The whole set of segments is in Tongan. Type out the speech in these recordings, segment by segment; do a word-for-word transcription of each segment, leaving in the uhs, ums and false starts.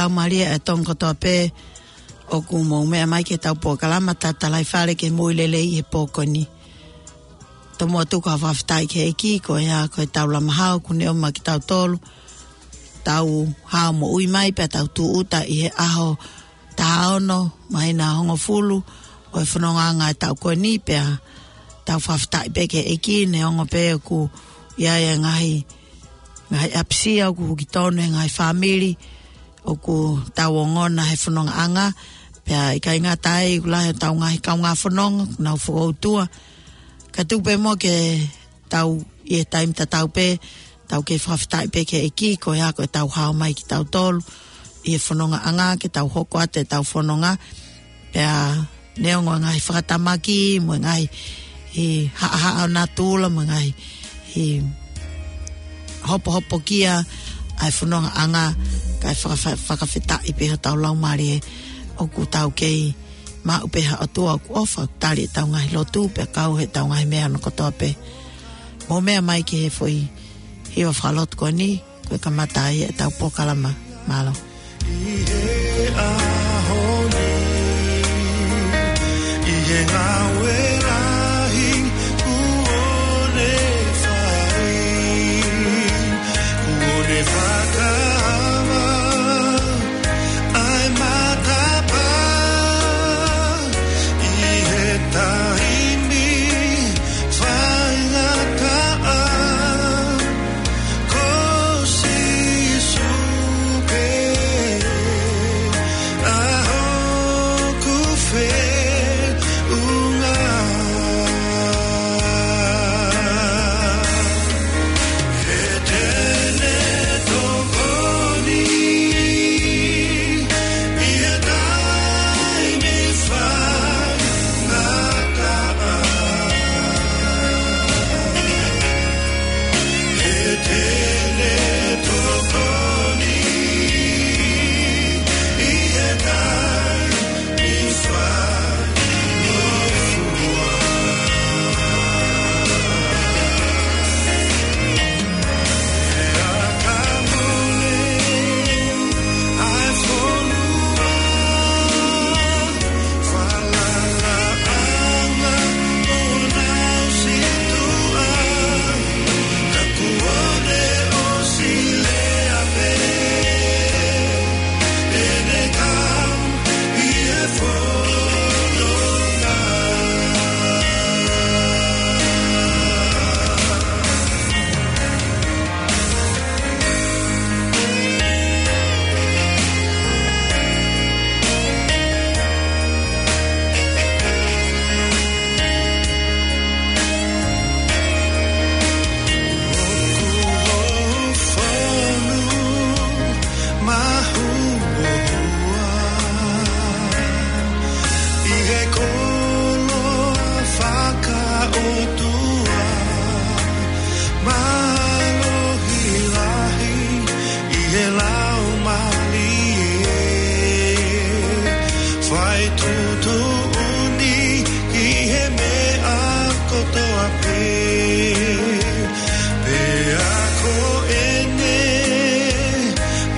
Laumālie ʻa e Tonga kotoa pē, ʻoku mou meʻa mai ki heʻetau polokalama Tatalaifale ki he Moʻui Lelei he pō ko eni. Tomuʻa tuku ha fakafetaʻi ki he ʻEiki, ko ia ko ʻetau lama hao kuo ne ʻomai kitautolu, tau hao moʻui mai pea tau tūʻuta ʻi he ʻaho taha ono māhina hongofulu ʻo e fonongaʻanga ʻo e taʻu ko eni, pea tau fakafetaʻi pē ki he ʻEiki neongo pē ʻoku ʻi ai e ngaahi, ngaahi ʻapisia ʻoku huki tonu he ngaahi fāmili ʻoku tau ongona he fonongaʻanga, pea ʻikai ngata ai ʻoku lahi hotau ngaahi kaungā fononga ʻoku nau fokoutua. Ka tuku pē muʻa ke tau ʻi he taimi tatau pē, tau kei fakafetaʻi pē ki he ʻEiki, ko ia ko ʻetau hao mai kitautolu ʻi he fonongaʻanga, ke tau hoko atu ʻetau fononga, pea neongo e ngaahi fakatamaki, mo e ngaahi haʻahaʻa ʻo natula, mo e ngaahi hopohopokia ʻa e fonongaʻanga, kae fakafa-, fakafetaʻi pē hotau laumālie ʻoku tau kei maʻu pē ha ʻOtua ʻoku ʻofa, tali ʻetau ngaahi lotu, pea kau heʻetau ngaahi meʻa hono kotoa pē. Mou meʻa mai ki he foʻi hiva fakalotu ko eni, ko e kamata ai ʻetau polokalama. Mālō. ʻI he ʻaho ni, ʻi he ngāue lahi kuo ne fai, kuo ne fakaava ʻa e matapā ʻi he taimi faingataʻa. Ko Sīsū pē ʻa hoku feʻunga. He te ne tokoni ʻi he taimi faingataʻa. He te ne tokoni ʻi he taimi ʻI he koloa fakaʻotua, mālohi lahi ʻi he Laumālie, fai tuʻutuʻuni ki he meʻa kotoa pē. Pea ko ʻene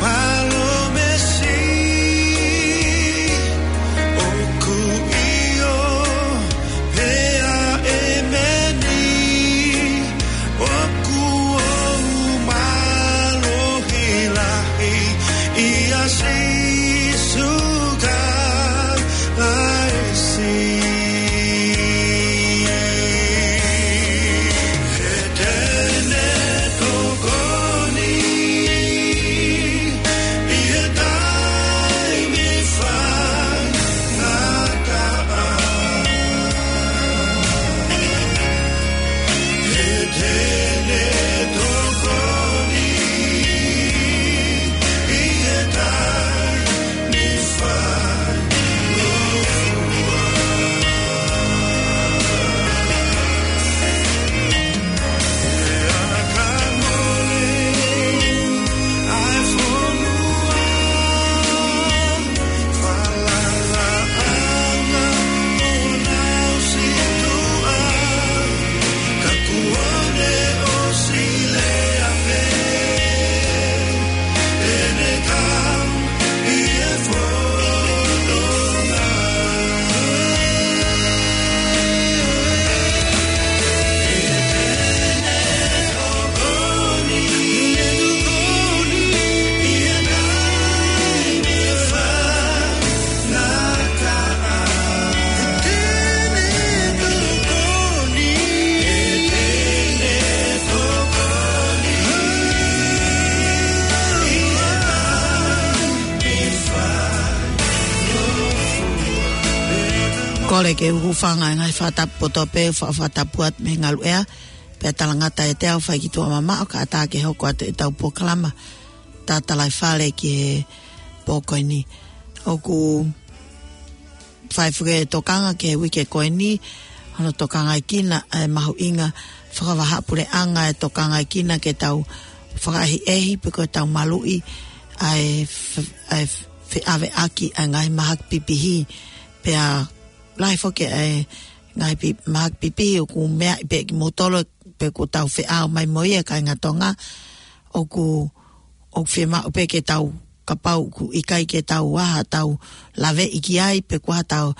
palōmesi ʻoku ʻio, pea ʻēmeni. ʻOku ou mālohi lahi ʻia Sīsū Kalaisi. Kole ke u hūfanga he ngaahi fakatapu poto pē, fa-, fakatapu atu mei he ngaluʻea, pea talangata ʻiate au fai ki tuʻa mamaʻo, kae ʻatā ke hoko atu ʻetau polokalama Tatalaifale ki he pō ko eni. ʻOku fai foki e tokanga ki he uike ko eni, hono tokangaʻi kinautolu e mahuʻinga fakavahaʻapuleʻanga, e tokangaʻi kinautolu ke tau fakaʻehiʻehi pe ko ʻetau maluʻi ʻa e f-, ʻa e feʻaveʻaki ʻa e ngaahi mahaki pipihi, pea lahi foki e ngaahi pi-, mahaki pipihi ʻoku meaʻi pē kimoutolu pe kuo tau feʻao mai mo ia, kāinga Tonga. ʻOku, ʻoku fiemaʻu pē ke tau, kapau ʻoku ʻikai ke tau ʻai haʻatau laveʻi ki ai, pe ko haʻatau,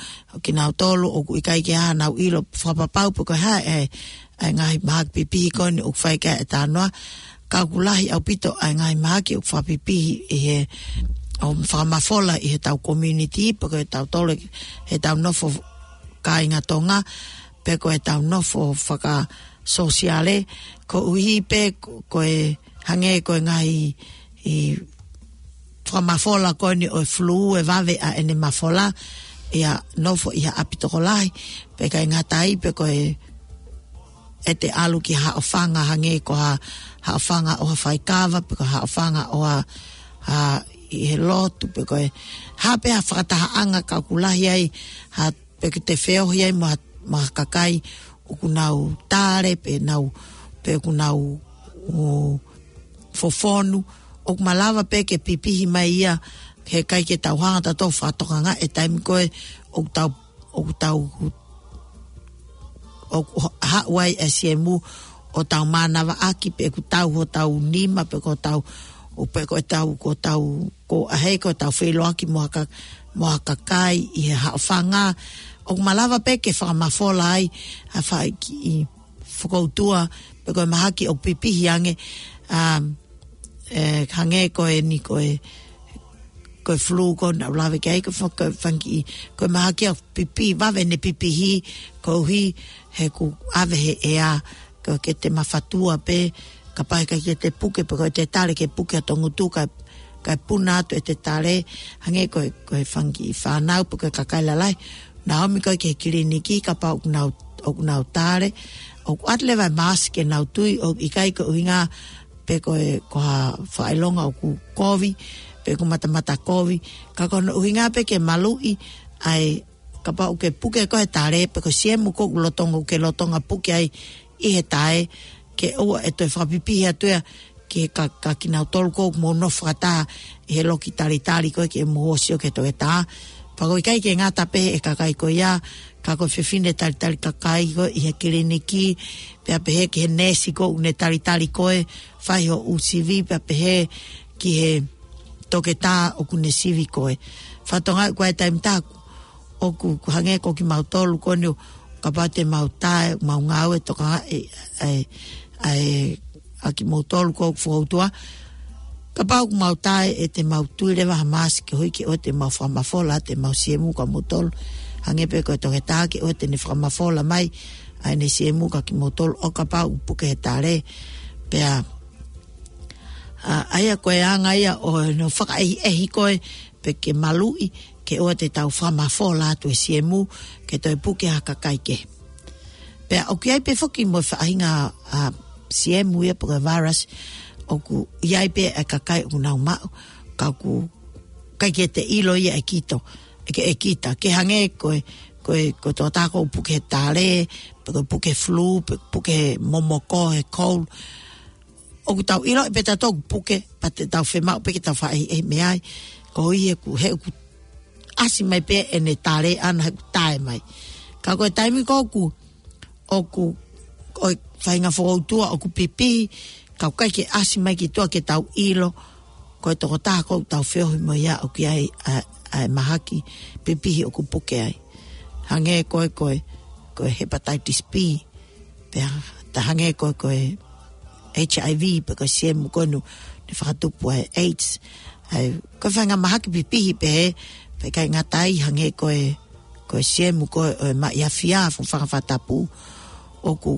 kinautolu ʻoku ʻikai ke ʻai haʻanau ʻilo fakapapau pe ko e hā e, e ngaahi mahaki pipihi ko eni ʻoku fai ki ai e talanoa. Ka ʻoku lahi ʻaupito ʻa e ngaahi mahaki ʻoku fakapipihi ʻi he, ʻo fakamafola ʻi heʻetau community, pe ko ʻetau tole, heʻetau nofo kāinga Tonga, pe ko ʻetau nofo fakasōsiale, koeʻuhi pē ko, ko e hangē ko e ngaahi, ʻi fakamafola ko eni ʻo e flu, ʻe vave ʻa ʻene mafola, ʻi ha nofo ʻi ha ʻapi tokolahi, pea ʻikai ngata ai, pe ko e, ʻete ʻalu ki ha haʻofanga hangē ko ha, haʻofanga ʻo ha faikava, pe ko ha haʻofanga ʻo ha, ha ʻi he lotu, pe ko e hā pē ha fakatahaʻanga ka ʻoku lahi ai ha, pe ʻoku te feohi ai mo ha, mo ha kakai ʻoku nau tale, pe nau, pe ʻoku nau, ʻo, fofonu, ʻoku malava pē ke pipihi mai ia, he ʻikai ke tau hanga ʻo tau fakatokangaʻi e taimi ko ē ʻoku tau, ʻoku tau, ʻoku haʻu ai e siemu ʻo tau mānavaʻaki, pe ʻoku tau hotau nima, pe ko ʻetau, ʻo pe ko ʻetau, ko ʻetau, ko ʻaho ko ʻetau feʻiloaki mo ha ka-, mo ha kakai ʻi he haʻofanga. ʻOku malava pē ke fakamafola ai ha faʻahi kiʻi fokoutua, pe ko e mahaki ʻoku pipihi ange, um, e, hangē ko eni ko e, ko e flu ko ena ʻoku lave ki ai, ko e fa-, ko e fanga kiʻi, ko e mahaki ʻoku pipihi, vave ʻene pipihi, koeʻuhi he ʻoku ʻave he ʻea, ko e ke te mafatua pē, kapau ʻikai ke te puke, pe ko ʻete tale ke puke ʻa e ngutu, kae, kae puna atu ʻete tale, hangē ko e, ko e fanga kiʻi fānau, pe ko e kakai lalahi, nau ō mai ko ē ki he kiliniki, kapau ʻoku nau, ʻoku nau tale, ʻoku ʻoatu leva e mask ke nau tui, ʻoku ʻikai ko e ʻuhinga pe ko e, ko ha fakaʻilonga ʻoku kovi, pe ʻoku matamata kovi, ka ko hono ʻuhinga pē ke maluʻi ʻa e, kapau ʻoku ke puke koe he tale, pe ko e siemu ʻoku lolotonga, ʻoku ke lolotonga puke ai ʻi he tae, ke ʻoua ʻe toe fakapipihi atu ia ki he ka-, ka kinautolu ʻoku mou nofo fakataha ʻi he loki talitali ko ē ke mou ō ʻo sio ki he toketā. Pea ʻoku ʻikai ke ngata pē he kakai ko ia, ka ko e fefine talitali kakai ko ē ʻi he kiliniki, pea pehē ki he neesi ʻoku ne talitali koe, fai hoʻo sivi, pea pehē ki he toketā ʻoku ne sivi koe. Fakatokangaʻi ko e taimi ʻe taha ʻoku, ʻoku hangē ko kimautolu ko eni, kapau te mau tae, mau ngāue tokangaʻi e, e, e, ʻa kimoutolu ʻoku fokoutua. Kapau ʻoku mau tae, ʻe te mau tui leva ha mask koeʻuhi ke ʻoua te mau fakamafola ʻete mau siemu kia moutolu. Hangē pē ko e toketā ke ʻoua te ne fakamafola mai ʻa ʻene siemu kia kimoutolu ʻo kapau ʻoku puke he tale. Pea, ʻa, ʻa ia ko e anga ia ʻo hono fakaʻehiʻehi ko ē, pe ke maluʻi, ke ʻoua te tau fakamafola atu e siemu, ke toe puke ha kakai kehe. Pea ʻoku ʻi ai pē foki mo e faʻahinga, ʻa, siemu ia pe ko e virus, ʻoku ʻi ai pē e kakai ʻoku nau maʻu, ka ʻoku ʻikai ke te ʻilo ia ʻe kito, ʻe ke, ʻe kita, ke hangē ko e, ko e, ko e toketā ʻoku puke he tale, pe ko e puke flu, pe puke he momoko, he cold, ʻoku tau ʻiloʻi pē ʻe tautolu ʻoku puke, pea te tau fiemaʻu pē ke tau fakaʻehiʻehi mei ai. Koeʻuhi he ʻoku, he ʻoku ʻasi mai pē ʻene tale ʻana he ʻoku tae mai. Ka ko e taimi ko ē ʻoku, ʻoku, ʻoku faʻahinga fokoutua ʻoku pipihi, ka ʻoku ʻikai ke ʻasi mai ki tuʻa ke tau ʻilo, ko e tokotaha ʻoku tau feohi mo ia ʻoku ʻi ai ʻa, ʻa e mahaki pipihi ʻoku puke ai. Hangē ko e, ko e, ko e hepatitis B, pea ta hangē ko e, ko e HIV, pe ko e siemu ko ē ʻoku ne fakatupu ʻa e AIDS. ʻA e, ko e faʻahinga mahaki pipihi pē, pea ʻikai ngata ai hangē ko e, ko e siemu ko ē ʻo e maʻi afi ʻa e fanga fakatapu. ʻOku,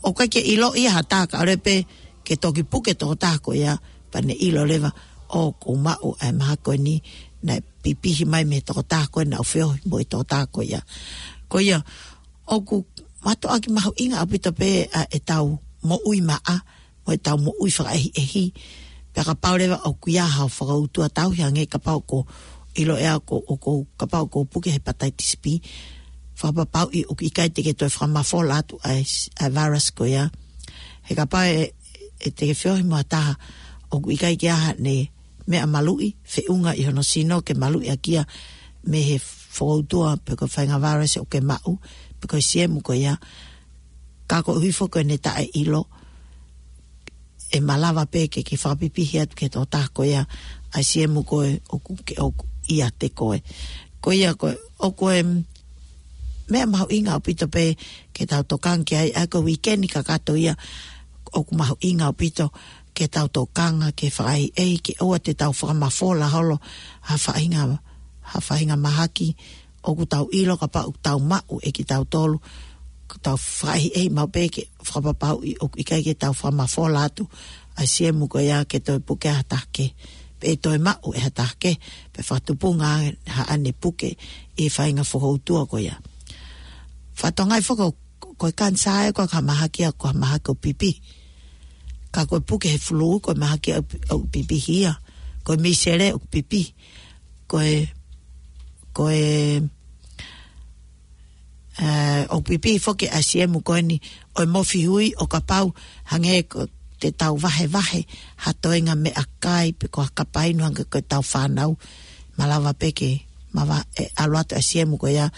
ʻoku ʻikai ke ʻilo ia ha taha ka ʻalu pē ke toki puke tokotaha ko ia, pea ne ʻilo leva ʻoku maʻu ʻa e mahaki ko eni, naʻe pipihi mai mei he tokotaha ko ē naʻa ku feohi mo e tokotaha ko ia. Ko ia, ʻoku mātuʻaki mahuʻinga ʻaupito pē ʻa ʻetau moʻui maʻa, mo ʻetau moʻui fakaʻehiʻehi. Pea kapau leva ʻoku ʻi ai haʻo fakautua tauhi hangē kapau ʻoku ʻilo ʻe au ʻoku, ʻoku, kapau ʻoku puke hepatitis B. Fakapapauʻi ʻoku ʻikai te ke toe fakamafola atu ʻa e, ʻa e virus ko ia. He kapau ʻe, ʻe te ke feohi mo ha taha ʻoku ʻikai ke ʻi ai haʻane meʻa maluʻi, feʻunga ʻi hono sino ke maluʻi ʻaki ia mei he fakautua pe ko e faʻahinga virus ʻoku ke maʻu, pe ko e siemu ko ia. Ka koeʻuhi foki ko ʻene taʻeʻilo, ʻe malava pē ke, ke fakapipihi atu ki he tokotaha ko ia ʻa e siemu ko ē ʻoku ke, ʻoku ʻiate koe. Ko ia ko ē, ʻoku ʻi ai e meʻa mahuʻinga ʻaupito pē ke tau tokanga ki ai, ʻa ia ko e uike ni kakato ia ʻoku mahuʻinga ʻaupito ke tau tokanga ke fakaʻehiʻehi, ke ʻoua te tau fakamafola holo ha faʻahinga, ha faʻahinga mahaki ʻoku tau ʻilo kapau ʻoku tau maʻu ʻe kitautolu, ʻoku tau fakaʻehiʻehi maʻu pē ke fakapapauʻi ʻoku ʻikai ke tau fakamafola atu ʻa e siemu ko ia ke toe puke ʻe ha taha kehe, pe toe maʻu ʻe ha taha kehe, pe fakatupunga haʻane puke ʻi he faʻahinga fakautua ko ia. Fatongia foki ko e kanisā ē ko e ka mahaki ʻa ko ha mahaki ʻoku pipihi. Ka ko e puke he fulū ko e mahaki ʻoku, ʻoku pipihi ia. Ko e misele ʻoku pipihi. Ko e, ko e, ē, ʻoku pipihi foki ʻa e siemu ko eni ʻo e mofihui ʻo kapau hangē ko te tau vahevahe ha toenga meʻakai pe ko ha kapa inu hangē ko ʻetau fānau. Malava pē ke mava-, ʻe ʻalu atu ʻa e siemu ko ia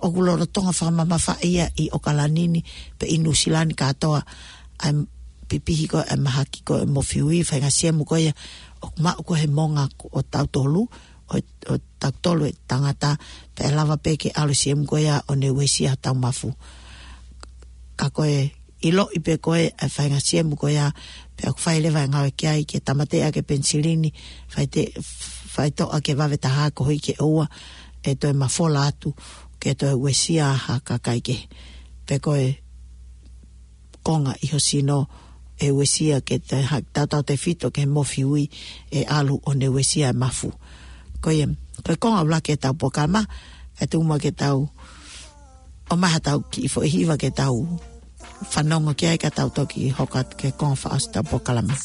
ʻoku lolotonga fakamamafaʻi ia ʻi ʻOkalani ni pe ʻi Nuʻusila ni kātoa ʻa e pipihi ko ē ʻa e mahaki ko ē mofihui faʻahinga siemu ko ia ʻoku maʻu ko ē he moʻunga ko ē ʻo tautolu, ʻo, ʻo tautolu e tangata, pea ʻe lava pē ke ʻalu siemu ko ia ʻo ne uesia hotau mafu. Ka ko e ʻiloʻi pē ko ē ʻa e faʻahinga siemu ko ia, pea ʻoku fai leva e ngāue ki ai ke tāmateʻi ʻaki e penisilini, faite-, faitoʻo ʻaki e vave taha koeʻuhi ke ʻoua ʻe toe mafola atu, ke toe uesia ha kakai kehe. Pe ko e konga ʻi ho sino ʻe uesia ke te ha-, tautautefito ki he mofihui ʻe ʻalu ʻo ne uesia e mafu. Ko ia, ko e konga ʻuluaki ʻetau polokalama, ʻe tuku muʻa ke tau ʻomai haʻatau kiʻi foʻi hiva ke tau fanongo ki ai ka tau toki hoko atu ki he konga fakaʻosi ʻetau polokalama.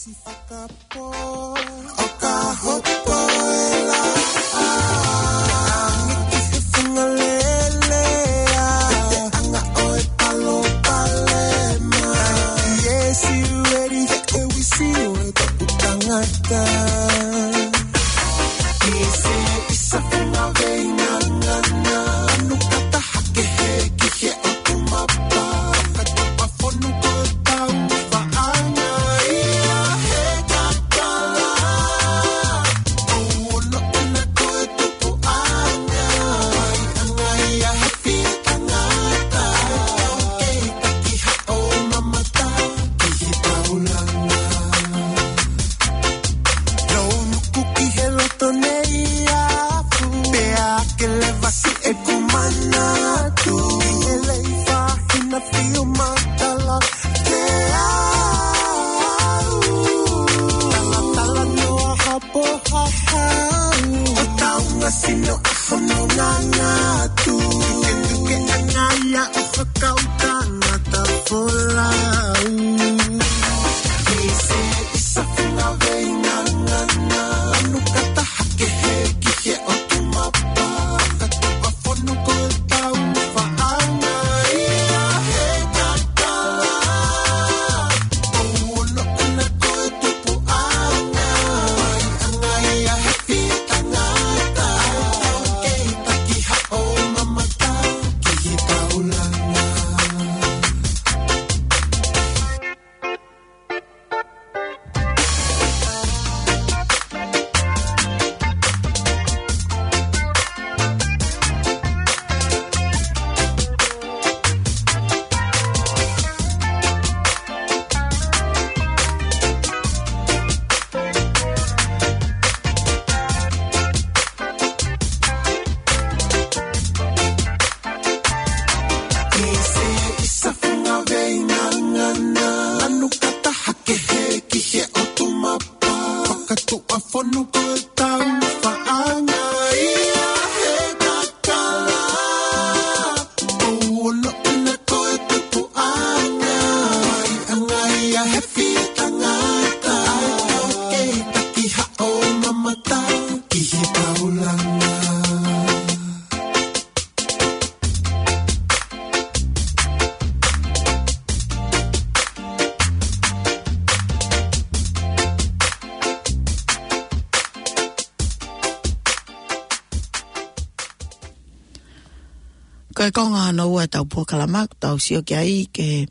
Ko e konga hono ua ʻetau polokalama, tau sio ki ai ke,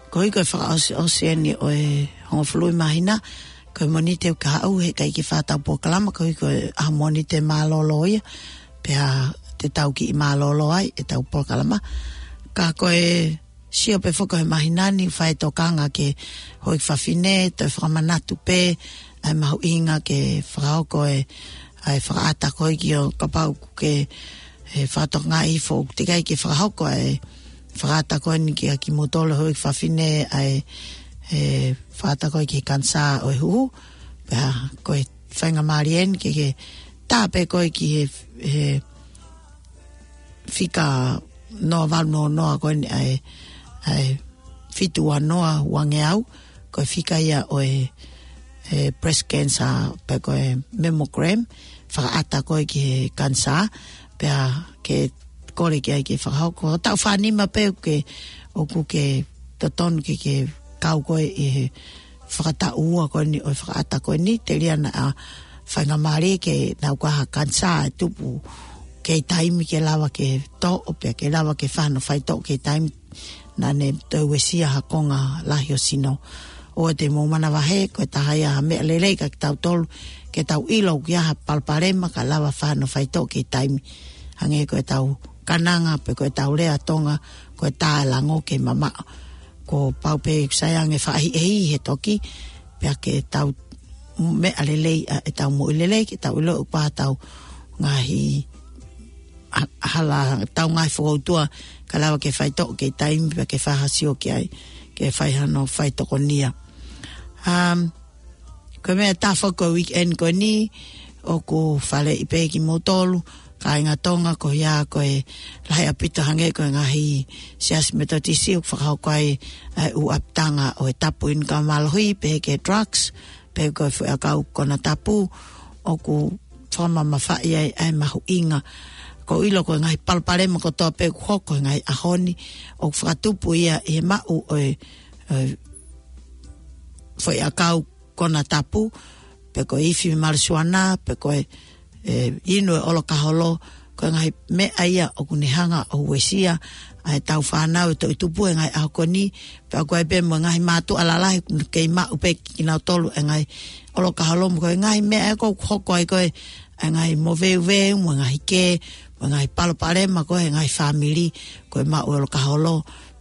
koeʻuhi ko e fakaʻosi, ʻosi eni ʻo e hongofulu māhina, ko e Mōnite ʻoku haʻu he ʻikai ke fai ʻetau polokalama, koeʻuhi ko e ʻaho Mōnite mālōlō ia, pea te tau kiʻi mālōlō ai ʻetau polokalama. Ka ko e sio pē foki he māhina ni, fai tokanga ki he houʻeiki fafine, toe fakamanatu pē ʻa e mahuʻinga ke fakahoko e, ʻa e fakaʻata ko ē ki he, kapau ʻoku ke, e, fakatokangaʻi foʻou teʻeki ai ke fakahoko ʻa e fakaʻata ko eni kiate kimoutolu houʻeiki fafine, ʻa e, e, fakaʻata ko ē ki he kanisā ʻo e huhu. Pea ko e faingamālie eni ke, ke tā pē koe ki he, he fika noa valu noa noa ko eni ʻa e, ʻa e fitu ua noa ua ngeau, ko e fika ia ʻo e, e, breast cancer pe ko e mammogram, fakaʻata ko ē ki he kanisā, pea ke kole ki ai ke fakahoko. Taʻu fā nima pē ke, ʻoku ke totonu ke, ke kau koe ʻi he fakataʻu ua ko eni ʻo e fakaʻata ko eni, telia naʻa faingamālie ke nau ka ha kanisā ʻe tupu kei taimi ke lava ke toʻo, pea ke lava ke fai hano faitoʻo kei taimi naʻa ne toe uesia ha konga lahi ʻo e sino. ʻOua te mou manavahē, ko e taha ia ha meʻa lelei kiate kitautolu, ke tau ʻilo ʻoku ʻi ai ha palopalema ka lava fai hano faitoʻo kei taimi. Hangē ko ʻetau kananga, pe ko ʻetau lea Tonga, ko e tā e lango ke mamaʻo. Kuo pau pē ʻoku sai ange fakaʻehiʻehi he toki, pea ke tau meʻa lelei ʻa ʻetau moʻui lelei, ke tau ʻilo ʻoku ʻi ai ʻetau ngaahi ha-, hala, ʻetau ngaahi fokoutua, ka lava ke faitoʻo kei taimi pea ke fai ha sio ki ai, ke fai hano faitokonia. Um, ko e meʻa ʻe taha foki ko e weekend ko eni, ʻoku faleʻi pē kimoutolu, kāinga Tonga, ko ia ko e lahi ʻaupito hangē ko e ngaahi siasi Metotisi ʻoku fakahoko ai ʻa e ʻū ʻapitanga ʻo e tapu inu ka mālohi, pehē ki he drugs, pe ko e foʻiʻakau konatapu, ʻoku fakamamafaʻi ai ʻa e mahuʻinga. Ko e ʻilo ko e ngaahi palopalema kotoa pē ʻoku hoko he ngaahi ʻaho ni, ʻoku fakatupu ia ʻi he maʻu ʻo e, ʻo e foʻiʻakau konatapu, pe ko e ifi malijuana, pe ko e, e, inu e ʻolokaholo, ko e ngaahi meʻa ia ʻoku ne hanga ʻo uesia ʻa ʻetau fānau ʻe toʻutupu he ngaahi ʻaho ko eni, pea ʻoku ʻi ai pē mo e ngaahi mātuʻa lalahi ʻoku kei maʻu pē kinautolu e ngaahi ʻolokaholo, mo e ngaahi meʻa ʻoku hoko ai ko e, e ngaahi moveuveu, mo e ngaahi kē, mo e ngaahi palopalema ko ē he ngaahi fāmili, ko e maʻu ʻolokaholo,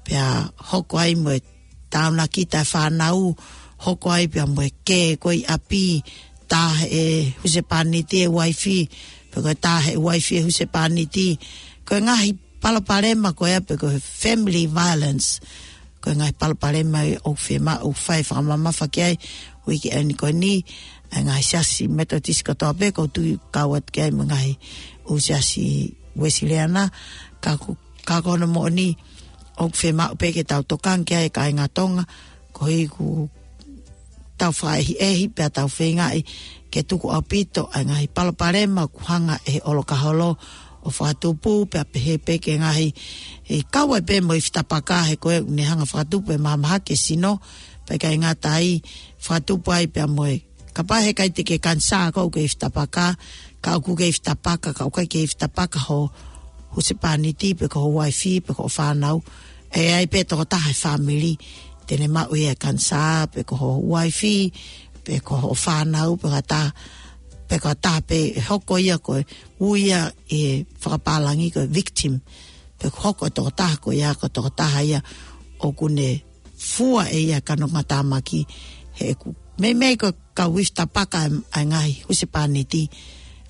pea hoko ai mo e taunakita e fānau, hoko ai pea mo e kē ko ē ʻi ʻapi, tā ʻe he husepāniti e uaifi, pe ko e tā ʻe he uaifi e husepāniti. Ko e ngaahi palopalema ko ia pe ko e family violence. Ko e ngaahi palopalema ia ʻoku fiemaʻu fai fakamamafa ki ai, uike eni ko eni, ʻa e ngaahi siasi Metotisi kotoa pē, ʻoku ou tui kau atu ki ai mo e ngaahi ʻū siasi Uēsiliana, ka ko, ka ko hono moʻoni, ʻoku fiemaʻu pē ke tau tokanga ki ai kāinga Tonga, koeʻuhi ʻoku tau fakaʻehiʻehi, pea tau feingaʻi ke tuku ʻaupito ʻa e ngaahi palopalema ʻoku hanga ʻe he ʻolokaholo ʻo fakatupu, pea pehē pē ki he ngaahi, ʻe kau ai pē mo e ifi tapaka he ko ē ʻoku ne hanga fakatupu e mahamahaki e sino, pea ʻikai ngata ai fakatupu ai pea mo e, kapau he ʻikai te ke kanisā koe ʻoku ke ifi tapaka, ka ʻoku ke ifi tapaka, ka ʻoku ʻikai ke ifi tapaka ho husepāniti, pe ko ho uaifi, pe ko ho fānau, ʻe ʻi ai pē tokotaha he fāmili te ne maʻu ia e kanisā, pe ko ho uaifi, pe ko ho fānau, pe ko ha taha, pe ko ha taha pē ʻe hoko ia ko e ui ia ʻi he fakapālangi ko e victim, pe ko e hoko e tokotaha ko ia ko e tokotaha ia ʻoku ne fua ʻe ia e kanokatāmaki, he ʻoku meimei ko e kau ifi tapaka ʻa e, ʻa e ngaahi husepāniti,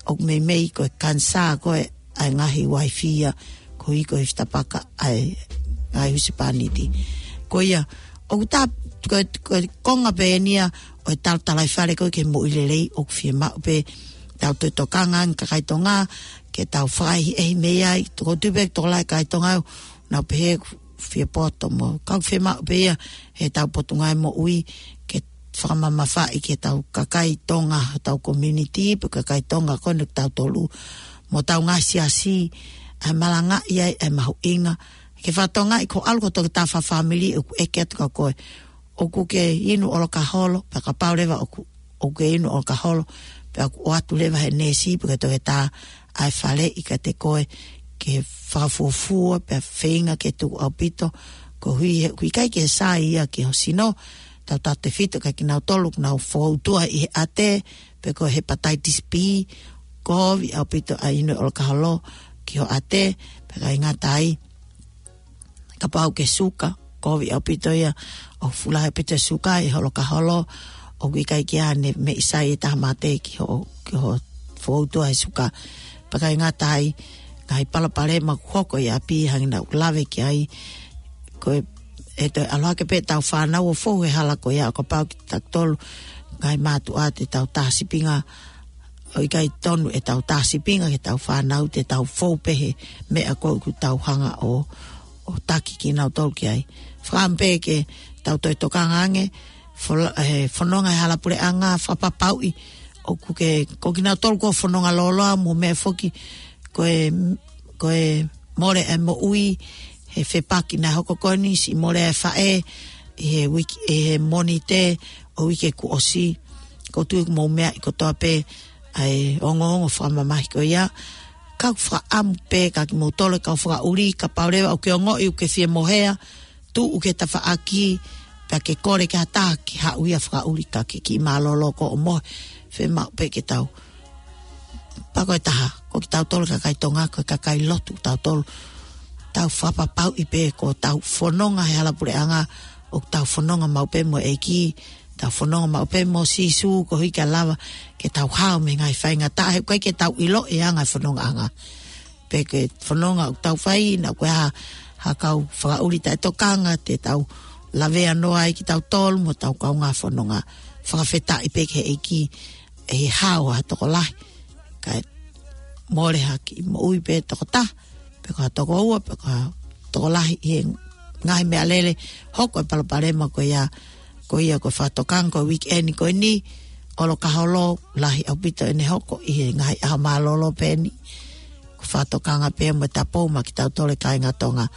ʻoku meimei ko e kanisā ko ē ʻa e ngaahi uaifi ia, koeʻuhi ko e ifi tapaka ʻa e ngaahi husepāniti. Ko ia, ʻoku tā, ko e, ko e konga pē eni ia ʻo e talatalaifale ko ē ki he moʻui lelei, ʻoku fiemaʻu pē tau toe tokanga ange kakai Tonga, ke tau fakaʻehiʻehi mei ai, tokotui pē tokolahi kakai Tonga, nau pehē fie poto mo, ka ʻoku fiemaʻu pē ia he tau Potungāue Moʻui, ke fakamamafaʻi ki he tau kakai Tonga, tau community, pe kakai Tonga ko eni ʻoku tau tolu, mo tau ngaahi siasi, ʻa e malangaʻi ai ʻa e mahuʻinga, ke fakatokangaʻi ko e ʻalu ko e tokotaha fakafāmili ʻoku ʻeke atu kia koe, ʻoku ke inu ʻolokaholo, pea kapau leva ʻoku, ʻoku ke inu ʻolokaholo, pea ʻoku ʻoatu leva he neesi, pe ko e toketā, ʻa e faleʻi kiate koe, ke fakafuofua pea feinga ke tuʻu ʻaupito, koeʻuhi he ʻoku ʻikai ke sai ia ki ho sino. Tautautefito kia kinautolu ʻoku nau foutua ʻi he ʻate, pe ko e hepatitis B, kovi ʻaupito ʻa e inu ʻolokaholo ki ho ʻate, pea ʻikai ngata ai, kapau ʻoku ke suka, kovi ʻaupito ia, ʻoku fuʻu lahi ʻaupito e suka ʻi ho ʻolokaholo, ʻoku ʻikai ke ʻi ai haʻane meʻi sai ʻe taha mate ki ho, ki ho foutua he suka. Pea ʻikai ngata ai, ngaahi palopalema ʻoku hoko ʻi ʻapi hangē naʻa ku lave ki ai, ko e, ʻe toe ʻalu hake pē ʻetau fānau ʻo fou he hala ko ia, ʻo kapau kitautolu ngaahi mātuʻa te tau tā sīpinga, ʻoku ʻikai tonu ʻetau tā sīpinga ki heʻetau fānau, te tau fou pē he meʻa ko ē ʻoku tau hanga ʻo, ʻo taki kinautolu ki ai. Fakaʻamu pē ke tau toe tokanga ange, fola-, he fononga he hala puleʻanga, fakapapauʻi ʻoku ke, ko kinautolu ko e fononga lōloa mo e meʻa foki, ko e, ko e mole e moʻui he fepaki naʻe hoko ko eni, siʻi mole e faʻē ʻi he uike, ʻi he Mōnite ʻo e uike kuo ʻosi. ʻOku ou tui ʻoku mou meaʻi kotoa pē ʻa e ongoongo fakamamahi ko ia. Ka ʻoku fakaʻamu pē kia kimoutolu e kau fakaʻuli, kapau leva ʻoku ke ongoʻi ʻoku ke fie mohea, tuʻu ki he tafaʻaki, pea ke kole ki ha taha ke haʻu ia ʻo fakaʻuli, ka ke kiʻi mālōlō koe ʻo mohe, fiemaʻu pē ke tau, pea ko e taha, ko kitautolu kakai Tonga, ko e kakai lotu kitautolu, tau fakapapauʻi pē ko ʻetau fononga he hala puleʻanga, ʻoku tau fononga maʻu pē mo e ʻEiki, tau fononga maʻu pē mo Sīsū, koeʻuhi ke lava ke tau hao mei he ngaahi faingataʻa, he ʻoku ʻikai ke tau ʻilo e anga e fonongaʻanga. Pe ko e fononga ʻoku tau fai, naʻa ʻoku ʻi ai ha, ha kau fakaʻuli taʻetokanga, te tau lavea noa ai kitautolu mo ʻetau kaungā fononga. Fakafetaʻi pē ki he ʻEiki, ʻe hao ha tokolahi, kae mole ha kiʻi moʻui pē tokotaha, pe ko ha tokoua, pe ko ha tokolahi ʻi he ngaahi meʻalele, hoko e palopalema ko ia, ko ia ko e fakatokanga ko e weekend ko eni, ʻolokaholo, lahi ʻaupito ʻene hoko ʻi he ngaahi ʻaho mālōlō pē eni. Ko e fakatokanga pē mo e tapou maʻa kitautolu e kāinga Tonga.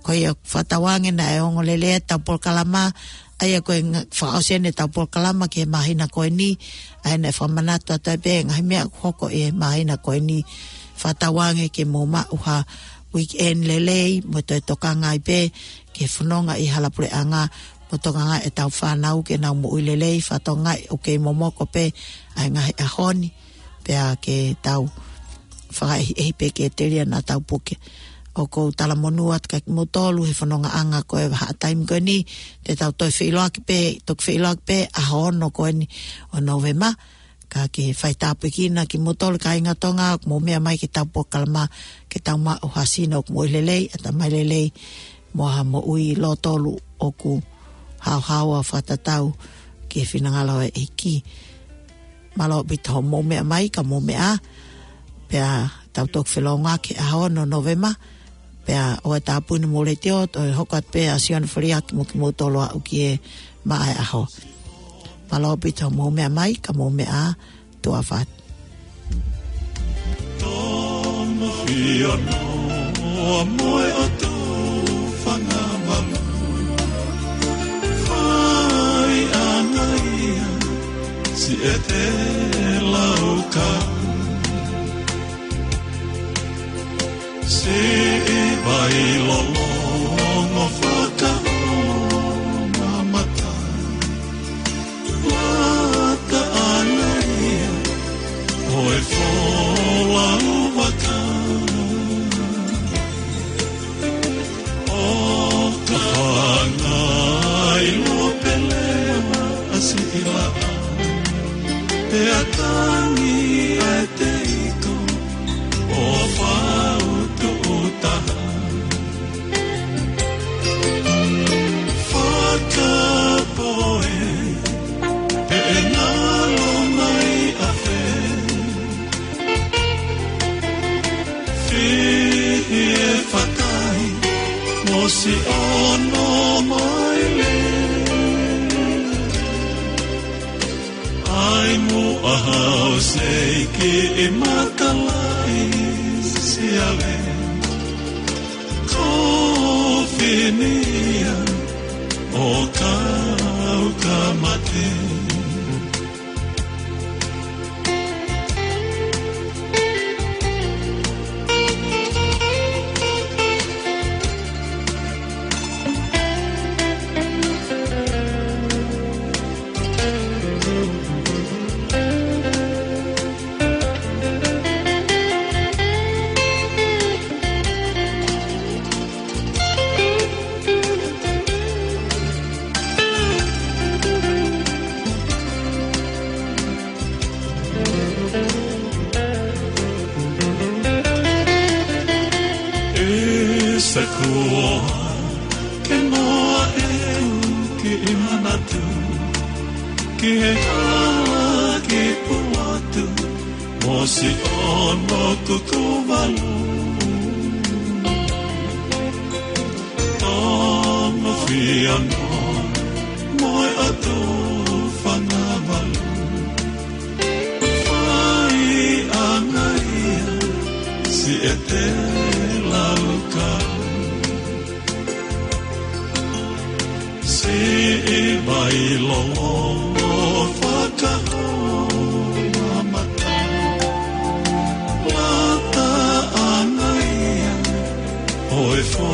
Ko ia, fakatauange naʻe ongo lelei ʻetau polokalama, ʻa ia ko e nga-, fakaʻosi eni ʻetau polokalama ki he māhina ko eni, ʻa ia naʻe fakamanatu atu ai pē ngaahi meʻa ʻoku hoko ʻi he māhina ko eni. Fakatauange ke mou maʻu ha weekend lelei, mo toe tokanga ai pē ki he fononga ʻi hala puleʻanga, mo tokanga ʻetau fānau ke nau moʻui lelei, fakatokangaʻi ʻoku kei momoko pē ʻa e ngaahi ʻaho ni, pea ke tau fakaʻehiʻehi pē ke telia ʻetau puke. ʻOku ou talamonū atu kia kimoutolu he fonongaʻanga ko e vahaʻa taimi ko eni, te tau toe feʻiloaki pē, toki feʻiloaki pē ʻaho ono ko eni ʻo Nōvema, ka ke fai tāpuekina kimoutolu kāinga Tonga, ʻoku mou meʻa mai ki heʻetau polokalama, ke tau maʻu ha sino ʻoku moʻui lelei, ʻatamai lelei, mo ha moʻui lōtolu ʻoku haohaoa fakatatau ki he finangalo ʻo e ʻEiki. Mālō ʻaupito hoʻomou meʻa mai, ka mou meʻa ā, pea tau toki felōngoaki he ʻaho ono Nōvema, pea ʻoua ʻe tāpuni homou letiō, toe hoko atu pē ʻa Sione Foliaki mo kimoutolu ʻo aʻu ki he maʻa e ʻaho. Mālō ʻaupito hoʻomou meʻa mai, ka mou meʻa ā, tuʻa ʻofa atu. Tonga fio noa mo e ʻOtu Fanga Valu. Fai ʻana ia, siʻi ʻete laukau. Siʻi vai lolongo fakaʻofa mamata. Lata ʻana ia ʻo e folau vaka. ʻO ka fanga ʻilo pele ʻa siʻi laʻā. Pea tangi ʻa e teiko ʻo fau tuʻu taha. Fakapoʻuli, pe ʻe ngalo mai ʻa fē. Fihi e fakai, mo siʻono mai lē. ʻAi muʻa hao seiki ʻi Makalaisiale. Ko Finia ʻo kau ka mate. ʻE Sēkope, ke noa ʻeku kiʻi manatu ki he hala ki Puatu mo Siʻono Kuku Valu. Tonga fia noa mo e ʻOtu Fanga Valu. Fai ʻanga ia, Siʻete Laukau. Siʻi Vailolo Fakahoa Mata. Lata ʻanga ia, ʻo e fo